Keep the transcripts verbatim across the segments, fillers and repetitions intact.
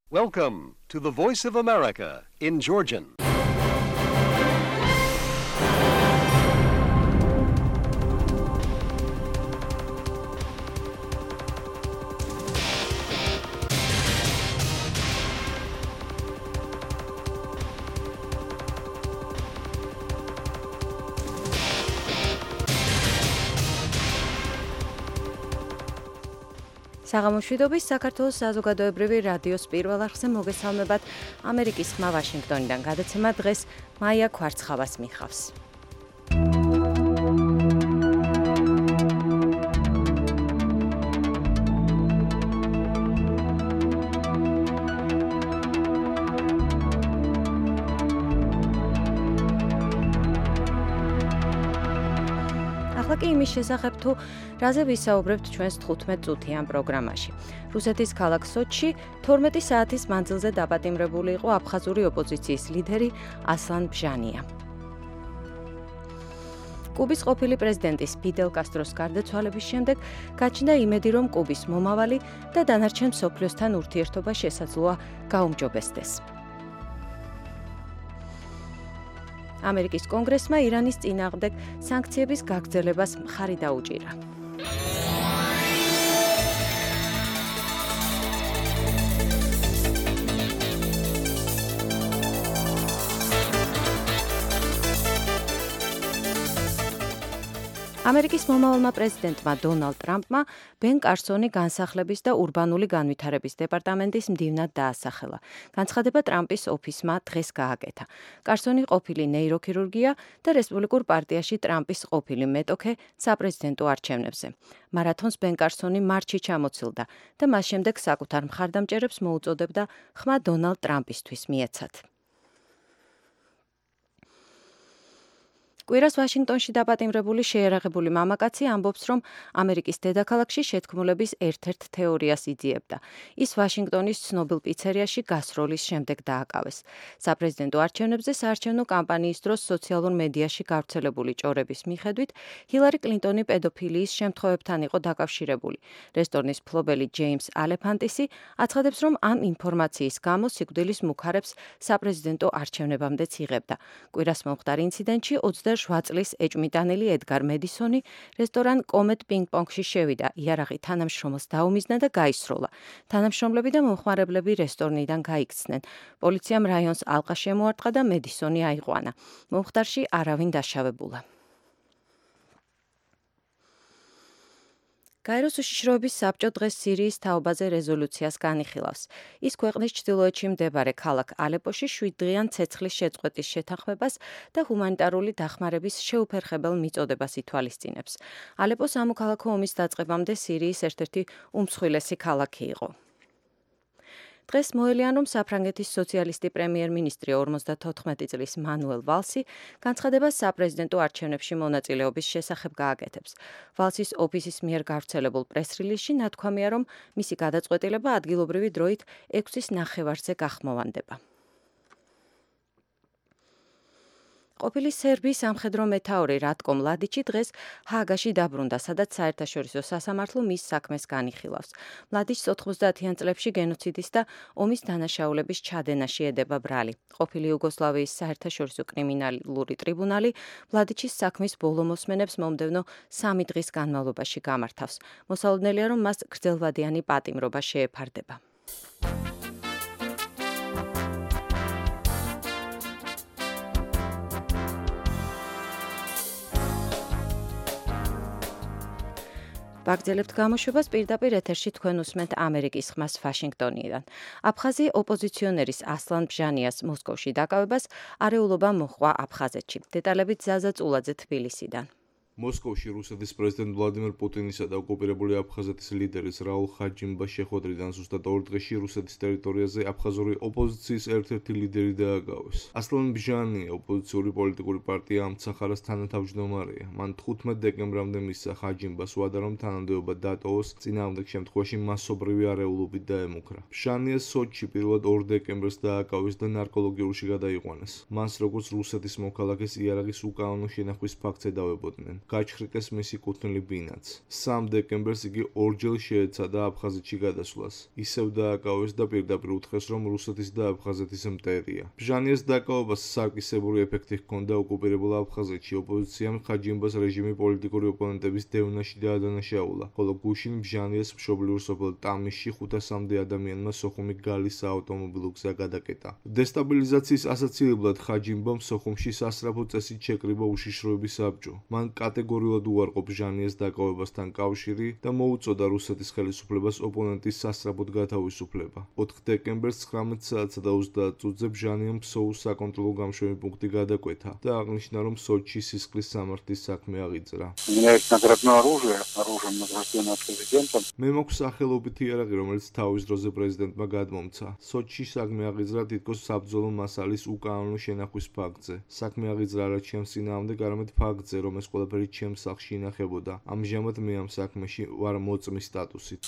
Welcome to the Voice of America in Georgian. საღამოშვიდობის საქართველოს საზოგადოებრივი რადიოს პირველ არხზე მოგესალმებათ. ამერიკის ხმა ვაშინგტონიდან გადაცემა დღეს მაია ქვარცხავას მიხავს. ახლა კი იმის შესახებ თუ რაზე ვისაუბრებთ ჩვენს თხუთმეტ წუთიან პროგრამაში. რუსეთის ქალაქ სოჩში თორმეტი საათის მანძილზე დაპატიმრებული იყო აფხაზური ოპოზიციის ლიდერი ასლან ბჟანია. კუბის ყოფილი პრეზიდენტის ფიდელ კასტროს გარდაცვალების შემდეგ გაჩნდა იმედი, რომ კუბის მომავალი და დანარჩენ მსოფლიოსთან ურთიერთობა შესაძლოა გაუმჯობესდეს. ამერიკის კონგრესმა ირანის წინააღმდეგ სანქციების გაგრძელებას მხარი დაუჭირა. ამერიკის მომავალმა პრეზიდენტმა დონალდ ტრამპმა ბენ კარსონი განსახლების და ურბანული განვითარების დეპარტამენტის მდივნად დაასახელა. განცხადება ტრამპის ოფისმა დღეს გააკეთა. კარსონი ყოფილი ნეიროქირურგია და რესპუბლიკურ პარტიაში ტრამპის ყოფილი მეტოქე საპრეზიდენტო არჩევნებზე. მარათონს ბენ კარსონი მარტში ჩამოცილდა და მას შემდეგ საკუთარ მხარდამჭერებს მოუწოდებდა ხმა დონალდ ტრამპისთვის მიეცათ. კვირას ვაშინგტონში დაპატიმრებული შეიარაღებული მამაკაცი ამბობს, რომ ამერიკის დედაქალაქში შეთქმულების ერთ-ერთ თეორიას იძიებდა. ის ვაშინგტონის ცნობილ პიცერიაში გასროლის შემდეგ დააკავეს. საპრეზიდენტო არჩევნებზე საარჩევნო კამპანიის დროს სოციალურ მედიაში გავრცელებული ჭორების მიხედვით ჰილარი კლინტონი პედოფილიის შემთხვევებთან იყო დაკავშირებული. რესტორნის მფლობელი ჯეიმს ალეფანტისი აცხადებს, რომ ამ ინფორმაციის გამო სიკვდილის მუქარებს საპრეზიდენტო არჩევნებამდეც იღებდა. კვირას მომხდარ ინციდენტში ოცდაშვიდ წლის ეჭვმიტანილი ედგარ მედისონი რესტორან კომეტ პინგ-პონგში შევიდა, იარაღი თანამშრომელს დაუმიზნა და გაისროლა. თანამშრომლები და მომხმარებლები რესტორნიდან გაიქცნენ. პოლიციამ რაიონს ალყა შემოარტყა და მედისონი აიყვანა. მომხდარში არავინ დაშავებულა. გაეროს უშიშროების საბჭო დღეს სირიის თაობაზე რეზოლუციას განიხილავს. ის ქვეყნის ჩრდილოეთში მდებარე ქალაქ ალეპოში შვიდდღიან ცეცხლის შეწყვეტის შეთანხმებას და ჰუმანიტარული დახმარების შეუფერხებელ მიწოდებას ითვალისწინებს. ალეპო სამოქალაქო ომის დაწყებამდე სირიის ერთ-ერთი უმსხვილესი ქალაქი იყო. დღეს მოელიან, რომ საფრანგეთის სოციალისტი პრემიერ-მინისტრი ორმოცდათოთხმეტი წლის მანუელ ვალსი განცხადებას საპრეზიდენტო არჩევნებში მონაწილეობის შესახებ გააკეთებს. ვალსის ოფისის მიერ გავრცელებულ პრეს-რილიზში ნათქვამია, რომ მისი გადაწყვეტილება ადგილობრივი დროით ექვსის ნახევარზე გახმოვანდება. ყოფილი სერბიის სამხედრო მეთაური რატკო მლადიჩი დღეს ჰააგაში დაბრუნდა, სადაც საერთაშორისო სასამართლო მის საქმეს განიხილავს. მლადიჩს ოთხმოცდაათიან წლებში გენოციდის და ომის დანაშაულების ჩადენაში ედება ბრალი. ყოფილი იუგოსლავიის საერთაშორისო კრიმინალური ტრიბუნალი მლადიჩის საქმის ბოლო მოსმენებს მომდევნო სამი დღის განმავლობაში გამართავს. მოსალოდნელია, რომ მას გრძელვადიანი პატიმრობა შეეფარდება. ვაგრძელებთ გამოშვებას პირდაპირ ეთერში თქვენ უსმენთ ამერიკის ხმას ვაშინგტონიდან. აფხაზი ოპოზიციონერის ასლან ბჟანიას მოსკოვში დაკავებას არეულობა მოჰყვა აფხაზეთში. დეტალებით ზაზა წულაძე თბილისიდან. მოსკოვში რუსეთის პრეზიდენტ ვლადიმერ პუტინისა და ოკუპირებული აფხაზეთის ლიდერის რაულ ხაჯიმბას შეხვედრიდან ზუსტად ორ დღეში რუსეთის ტერიტორიაზე აფხაზური ოპოზიციის ერთ-ერთი ლიდერი დააკავეს. ასლან ბჟანია ოპოზიციური პოლიტიკური პარტია ამცახარას თანათავმჯდომარეა. მან თხუთმეტ დეკემბრამდე მისცა ხაჯიმბას ვადა, რომ თანამდებობა დატოვოს, წინააღმდეგ შემთხვევაში მასობრივი არეულობით დაემუქრა. ბჟანია სოჩში პირველად ორ დეკემბერს დააკავეს და ნარკოლოგიურში გადაიყვანეს. მას როგორც რუსეთის მოქალაქეს იარაღის უკანონო შენახვის ფაქტს ედავებოდნენ. გაჩხრიკეს მისი კუთვნილი ბინაც. სამი დეკემბერს იგი ორჯერ შეეცადა აფხაზეთში გადასვლას. ისევ დააკავეს და პირდაპირ უთხრეს, რომ რუსეთის და აფხაზეთის მტერია. ბჟანიეს დაკავებას სარკისებური ეფექტი ჰქონდა ოკუპირებულ აფხაზეთში. ოპოზიციამ ხაჯიმბას რეჟიმი პოლიტიკური ოპონენტების დევნაში დაადანაშაულა, ხოლო გუშინ ბჟანიეს მშობლიურ სოფელ ტამიშში ხუთასამდე ადამიანმა სოხუმი გალის საავტომობილო გზა გადაკეტა. დესტაბილიზაციის ასაცილებლად ხაჯიმბამ სოხუმში სასწრაფო წესით შეკრიბა უშიშროების საბჭო. მან კატეგორიულად უარყო ბჟანიეს დაკავებასთან კავშირი და მოუწოდა რუსეთის ხელისუფლებას ოპონენტის სასწრაფოდ გათავისუფლება. ოთხ დეკემბერს ცხრამეტ საათსა და ოცდაათ წუთზე ბჟანიამ ფსოუს საკონტროლო გამშვები პუნქტი გადაკვეთა და აღნიშნა, რომ სოჩში სისხლის სამართლის საქმე აღიძრა. მე მაქვს სახელობითი იარაღი, რომელიც თავის დროზე პრეზიდენტმა გადმომცა. სოჩში საქმე აღიძრა თითქოს საბრძოლო მასალის უკანონო შენახვის ფაქტზე. საქმე აღიძრა არა ჩემს წინააღმდეგ, არამედ ფაქტზე, რომ ეს ყველაფერი ჩემს სახლში ინახებოდა. ამჟამად მე ამ საქმეში ვარ მოწმის სტატუსით.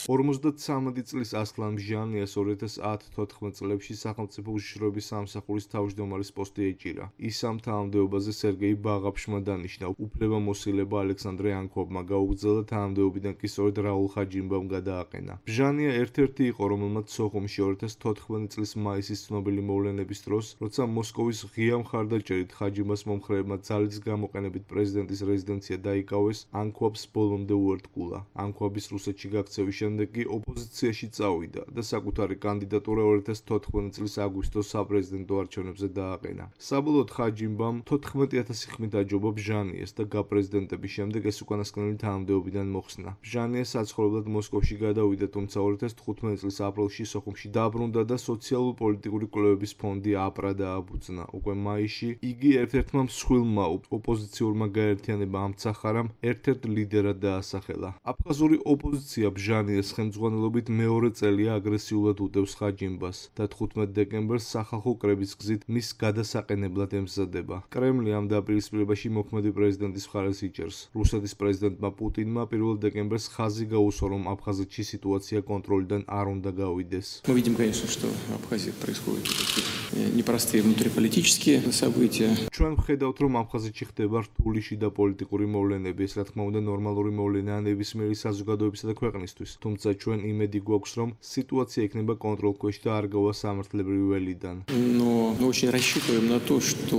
ორმოცდათვრამეტი წლის ასლან ბჟანიას ორი ათას ათოთხმეტ წლებში სახელმწიფო უშიშროების სამსახურის თავმჯდომარის პოსტი ეჭირა. ის ამ თანამდებობაზე სერგეი ბაღაფშმა დანიშნა. უფლებამოსილება ალექსანდრე ანკობმა გაუგრძელა, თანამდებობიდან კი სწორედ რაულ ხაჯიმბამ გადააყენა. ბჟანია ერთ-ერთი იყო, რომელმაც სოხუმში ორი ათას თოთხმეტი წლის მაისის ცნობილი მოვლენების დროს, როცა მოსკოვის ღია მხარდაჭერით ხაჯიმბას მომხრეებმა ძალის გამოყენებით პრეზიდენტის რეზიდენცია დაიკავეს, ანკობს ბოლომდე უერთგულა. ანკობის რუსეთში გაქცევის შემდეგ კი ოპოზიციაში წავიდა და საკუთარი კანდიდატურა ორი ათას თოთხმეტი წლის აგვისტოს საპრეზიდენტო არჩევნებზე დააყენა. საბოლოოდ ხაჯიმბამ თოთხმეტი ათასი ხმით აჯობა ბჟანიეს და გაპრეზიდენტების შემდეგ ეს უკანასკნელი თანამდებობიდან მოხსნა. ბჟანია საცხოვრებლად მოსკოვში გადავიდა, თუმცა ორი ათას თხუთმეტი წლის აპრილში სოხუმში დაბრუნდა და სოციალურ-პოლიტიკური კვლევების ფონდი აპრა დააბუძნა. უკვე მაისში იგი ერთ-ერთმა მსხვილმა ოპოზიციურმა გაერთიანებამ ამცახარამ ერთ-ერთ ლიდერად დაასახელა. აფხაზური ოპოზიცია ბჟანიეს ხელმძღვანელობით მეორე წელია აგრესიულად უდევს ხაჯიმბას და თხუთმეტ დეკემბერს სახალხო კრების გზით მის გადასაყენებლად ემზადება. კრემლი ამ დაპირისპირებაში მოქმედი პრეზიდენტის მხარეს იჭერს. რუსეთის პრეზიდენტმა პუტინმა პირველ დეკემბერს ხაზი გაუსვა, რომ აფხაზეთში სიტუაცია კონტროლიდან არ უნდა გავიდეს. Мы видим, конечно, что в Абхазии происходят непростые внутриполитические события. ჩვენ ვხედავთ, რომ აფხაზეთში ხდება რთული შიდა პოლიტიკური მოვლენები, ეს რა თქმა უნდა ნორმალური მოვლენაა ნებისმიერი საზოგადოებისა და ქვეყნისთვის. თუმცა ჩვენ იმედი გვაქვს, რომ სიტუაცია იქნება კონტროლქვეშ და არ გავა სამართლებრივი ველიდან. Но мы очень рассчитываем на то, что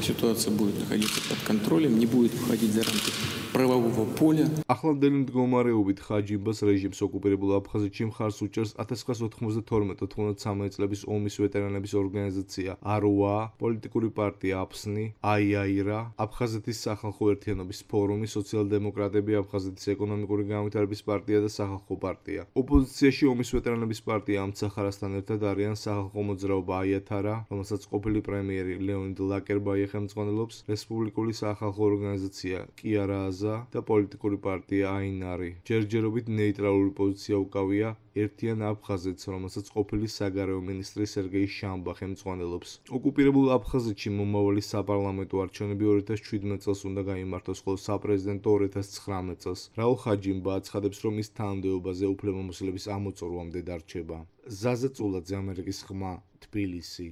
ситуация будет находиться под контролем, не будет выходить за рамки правового поля. ახლანდელი მდგომარეობით ხაჯიმბას რეჟიმს ოკუპირებულ აფხაზეთში მხარს უჭერს ათას ცხრაასი ოთხმოცდათორმეტი ოთხმოცდათრამეტი წლების ომის ვეტერანების ორგანიზაცია აროა, პოლიტიკური პარტია აფსნი, აიაირა, აფხაზეთის სახალხო ერთიანობის ფორუმი, სოციალ-დემოკრატები, აფხაზეთის ეკონომიკური განვითარების პარტია და სახალხო პარტია. ოპოზიციაში ომის ვეტერანების პარტია ამცახარასთან ერთად არიან სახალხო მოძრაობა აიათარა, რომელსაც ყოფილი პრემიერი ლეონიდ ლაკერბაი ხელმძღვანელობს, რესპუბლიკური სახალხო ორგანიზაცია კიარააზა და პოლიტიკური პარტია აინარი. ჯერჯერობით ნეიტრალური პოზიცია უკავია ერთიან აფხაზეთს, რომელსაც ყოფილი საგარეო მინისტრი სერგეი შამბა ხელმძღვანელობს. ოკუპირებულ აფხაზეთში მომავალი საპარლამენტო არჩევნები ორი ათას შვიდმეტ წელს უნდა გაიმართოს, ხოლო საპრეზიდენტო ორი ათას ცხრამეტ წელს. რაულ ხაჯიმბა აცხადებს, რომ ის თანამდებობაზე უფლებამოსილების ამოწურვამდე დარჩება. ზაზა წულაძე, ამერიკის ხმა, თბილისი.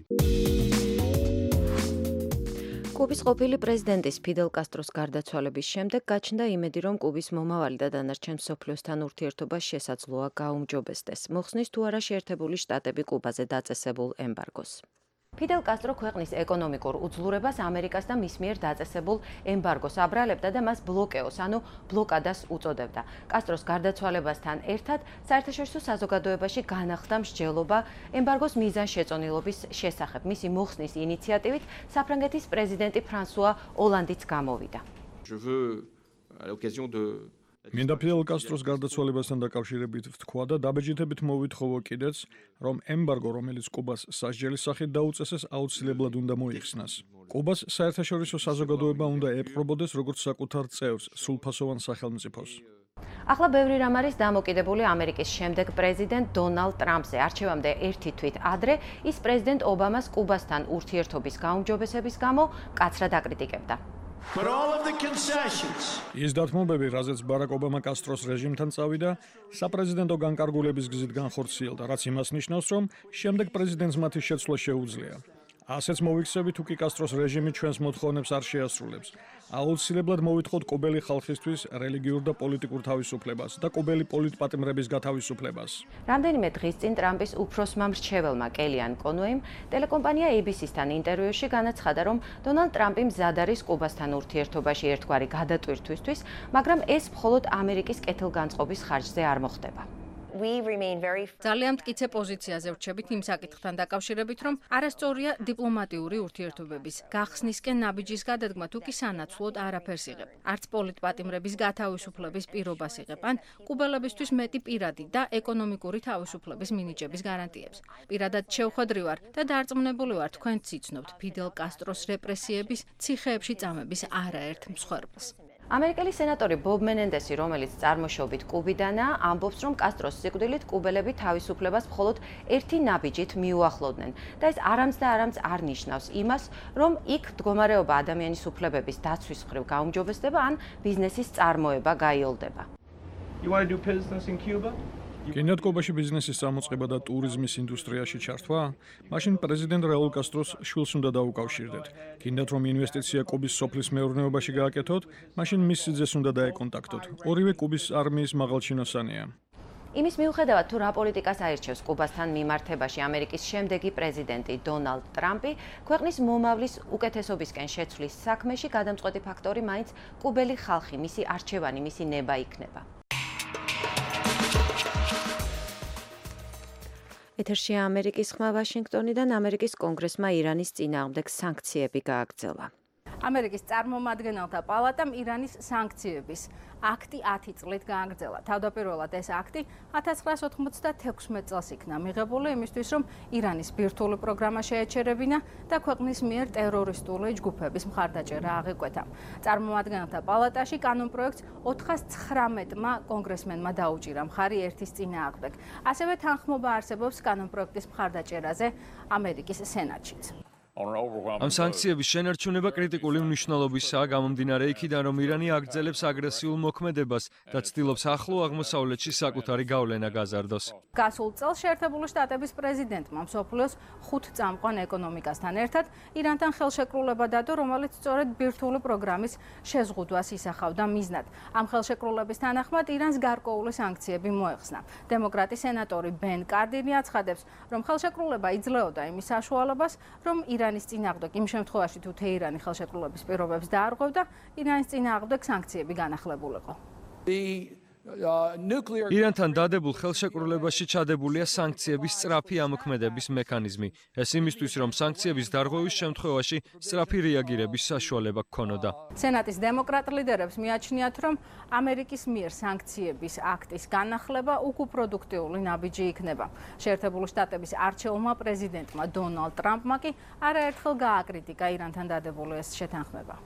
კუბის ყოფილი პრეზიდენტის ფიდელ კასტროს გარდაცვალების შემდეგ გაჩნდა იმედი, რომ კუბის მომავალი და დანარჩენ მსოფლიოსთან ურთიერთობა შესაძლოა გაუმჯობესდეს. მოხსნის თუ არა შეერთებული შტატები კუბაზე დაწესებულ ემბარგოს. ფიდელ კასტრო ქვეყნის ეკონომიკურ უძლურებას ამერიკას და მის მიერ დაწესებულ ემბარგოს აბრალებდა და მას ბლოკეოს, ანუ ბლოკადას უწოდებდა. კასტროს გარდაცვალებასთან ერთად საერთაშორისო საზოგადოებაში განახლდა მსჯელობა ემბარგოს მიზანშეწონილობის შესახებ. მისი მოხსნის ინიციატივით საფრანგეთის პრეზიდენტი ფრანსუა ოლანდიც გამოვიდა. მინდა ფიდელ კასტროს გარდაცვალებასთან დაკავშირებით ვთქვა და დაბეჭდებით მოვითხოვო კიდეც, რომ ემბარგო, რომელიც კუბას სასჯელის სახით დაუწესეს, აუცილებლად უნდა მოიხსნას. კუბას საერთაშორისო საზოგადოება უნდა ეპყრობოდეს როგორც საკუთარ წევრს, სრულფასოვან სახელმწიფოს. ახლა ბევრი რამ არის დამოკიდებული ამერიკის შემდეგ პრეზიდენტ დონალდ ტრამპზე. არჩევამდე ერთი თვით ადრე ის პრეზიდენტ ობამას კუბასთან ურთიერთობის გაუმჯობესების გამო მკაცრად აკრიტიკებდა. But all of the concessions. ის დათმობები, რაზეც ბარაკ ობამა კასტროს რეჟიმთან წავიდა, საპრეზიდენტო განკარგულების გზით განხორციელდა, რაც იმას ნიშნავს, რომ შემდეგ პრეზიდენტს მათი შეცვლა შეუძლია. ასეც მოვიქცევით, თუ კი კასტროს რეჟიმი ჩვენს მოთხოვნებს არ შეასრულებს. აუცილებლად მოვითხოვთ კუბელი ხალხისთვის რელიგიურ და პოლიტიკურ თავისუფლებას და კუბელი პოლიტპატიმრების გათავისუფლებას. რამდენიმე დღის წინ ტრამპის უფროსმა მრჩეველმა კელიან კონვეიმ ტელეკომპანია A B C-სთან ინტერვიუში განაცხადა, რომ დონალდ ტრამპი მზად არის კუბასთან ურთიერთობაში ერთგვარი გადატვირთვისთვის, მაგრამ ეს მხოლოდ ამერიკის კეთილგანწყობის ხარჯზე არ მოხდება. ძალიან მტკიცე პოზიციაზე ვრჩებით იმ საკითხთან დაკავშირებით, რომ არასწორია დიპლომატიური ურთიერთობების გახსნისკენ ნაბიჯის გადადგმა თუ კი სანაცვლოდ არაფერს იღებ. არც პოლიტპატიმრების გათავისუფლების პირობას იღებ, ან კუბელებისთვის მეტი პირადი და ეკონომიკური თავისუფლების მინიჭების გარანტიებს. პირადად შევხვედრი ვარ და დარწმუნებული ვარ, თქვენ ციცნობთ ფიდელ კასტროს რეპრესიების, ციხეებში წამების არაერთ მსხვერპლს. ამერიკელი სენატორი ბობ მენენდესი, რომელიც წარმოშობით კუბიდანაა, ამბობს, რომ კასტროს სიკვდილით კუბელები თავისუფლებას მხოლოდ ერთი ნაბიჯით მიუახლოვდნენ და ეს არამც და არამც არ ნიშნავს იმას, რომ იქ მდგომარეობა ადამიანის უფლებების დაცვის მხრივ გაუმჯობესდება ან ბიზნესის წარმოება გაიოლდება. You want to do business in Cuba? გინდათ კუბაში ბიზნესის წარმოწყება და ტურიზმის ინდუსტრიაში ჩართვა? მაშინ პრეზიდენტ რაულ კასტროს შვილს უნდა დაუკავშირდეთ. გინდათ რომ ინვესტიცია კუბის სოფლის მეურნეობაში გააკეთოთ? მაშინ მის სიძეს უნდა დაეკონტაქტოთ. ორივე კუბის არმიის მაღალჩინოსანია. იმის მიუხედავად, თუ რა პოლიტიკას აირჩევს კუბასთან მიმართებაში ამერიკის შემდეგი პრეზიდენტი დონალდ ტრამპი, ქვეყნის მომავლის უკეთესობისკენ შეცვლის საქმეში გადამწყვეტი ფაქტორი მაინც კუბელი ხალხი, მისი არჩევანი, მისი ნება იქნება. ეთერშია ამერიკის ხმა ვაშინგტონიდან. ამერიკის კონგრესმა ირანის წინააღმდეგ სანქციები გააგრძელა. ამერიკის წარმომადგენელთა პალატამ ირანის სანქციების აქტი ათი წლით გააგრძელა. თავდაპირველად ეს აქტი ათას ცხრაას ოთხმოცდათექვსმეტ წელს იქნა მიღებული იმისთვის, რომ ირანის ბირთვული პროგრამა შეეჩერებინა და ქვეყნის მიერ ტერორისტული ჯგუფების მხარდაჭერა აღიკვეთა. წარმომადგენელთა პალატაში კანონპროექტს ოთხას ცხრამეტმა კონგრესმენმა დაუჭირა მხარი ერთის წინააღმდეგ. ასევე თანხმობა არსებობს კანონპროექტის მხარდაჭერაზე ამერიკის სენატშიც. ამ სანქციების შენარჩუნება კრიტიკული მნიშვნელობისაა გამომდინარე იქიდან, რომ ირანი აგრძელებს აგრესიულ მოქმედებას და ცდილობს ახლო აღმოსავლეთში საკუთარი გავლენა გაზარდოს. გასულ წელს შეერთებული შტატების პრეზიდენტმა მსოფლიოს ხუთ წამყვან ეკონომიკასთან ერთად ირანთან ხელშეკრულება დადო, რომელიც სწორედ ბირთვული პროგრამის შეზღუდვას ისახავდა მიზნად. ამ ხელშეკრულების თანახმად ირანს გარკვეული სანქციები მოეხსნა. დემოკრატი სენატორი ბენ კარდინი აცხადებს, რომ ხელშეკრულება იძლეოდა იმის საშუალებას, რომ ირანის წინააღმდეგ იმ შემთხვევაში, თუ თეირანი ხელშეკრულების პირობებს დაარღვევდა, ირანის წინააღმდეგ სანქციები განახლებულიყო. ირანთან დადებულ ხელშეკრულებაში ჩადებულია სანქციების სწრაფი ამოქმედების მექანიზმი. ეს იმისთვის, რომ სანქციების დარღვევის შემთხვევაში სწრაფი რეაგირების საშუალება გქონოდა. სენატის დემოკრატ ლიდერებს მიაჩნიათ, რომ ამერიკის მიერ სანქციების აქტის განახლება უკუპროდუქტიული ნაბიჯი იქნება. შეერთებული შტატების არჩეულმა პრეზიდენტმა დონალდ ტრამპმა კი არაერთხელ გააკრიტიკა ირანთან დადებული ეს შეთანხმება.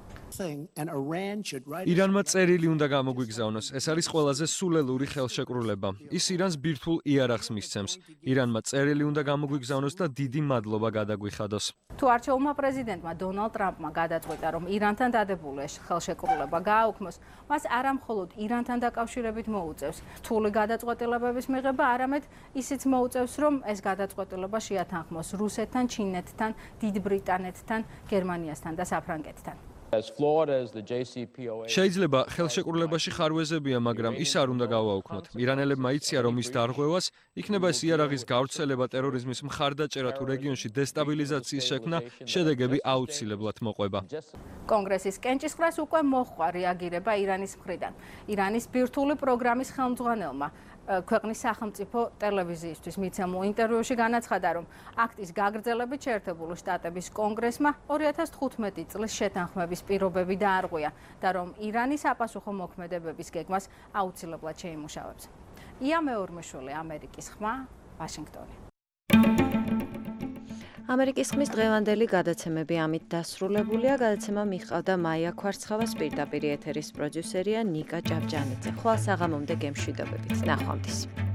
ირანმა წერილი უნდა გამოგვიგზავნოს. ეს არის ყველაზე სულელური ხელშეკრულება. ის ირანს ბირთვულ იარაღს მისცემს. ირანმა წერილი უნდა გამოგვიგზავნოს და დიდი მადლობა გადაგვიხადოს. თუ არჩეულმა პრეზიდენტმა დონალდ ტრამპმა გადაწყვეტა, რომ ირანთან დადებული ეს ხელშეკრულება გააუქმოს, მას არა მხოლოდ ირანთან დაკავშირებით მოუწევს რთული გადაწყვეტილებების მიღება, არამედ ისიც მოუწევს, რომ ეს გადაწყვეტილება შეათანხმოს რუსეთთან, ჩინეთთან, დიდ ბრიტანეთთან, გერმანიასთან და საფრანგეთთან. შეიძლება ხელშეკრულებაში ხარვეზებია, მაგრამ ის არ უნდა გავაუქმოთ. ირანელებმა იციან, რომ ის დარღვევას იქნება ეს იარაღის გავრცელება, ტერორიზმის მხარდაჭერა თუ რეგიონში დესტაბილიზაციის შექმნა, შედეგები აუცილებლად მოყვება. კონგრესის კენჭისყრას უკვე მოჰყვა რეაგირება ირანის მხრიდან. ირანის ბირთვული პროგრამის ხელმძღვანელმა ქვეყნის სახელმწიფო ტელევიზიისთვის მიცემულ ინტერვიუში განაცხადა, რომ აქტის გაგრძელებით შეერთებული შტატების კონგრესმა ორი ათას თხუთმეტი წლის შეთანხმების პირობები დაარღვია და რომ ირანი საპასუხო მოქმედებების გეგმას აუცილებლად შეიმუშავებს. ია მეორმეშვილი, ამერიკის ხმა, ვაშინგტონი. ამერიკის ხმის დღევანდელი გადაცემები ამით დასრულებულია. გადაცემა მიჰყავდა მაია ქვარცხავას, პირდაპირ ეთერის პროდიუსერია ნიკა ჭავჭანიძე. ხვალ საღამომდე გემშვიდობებით. ნახვამდის.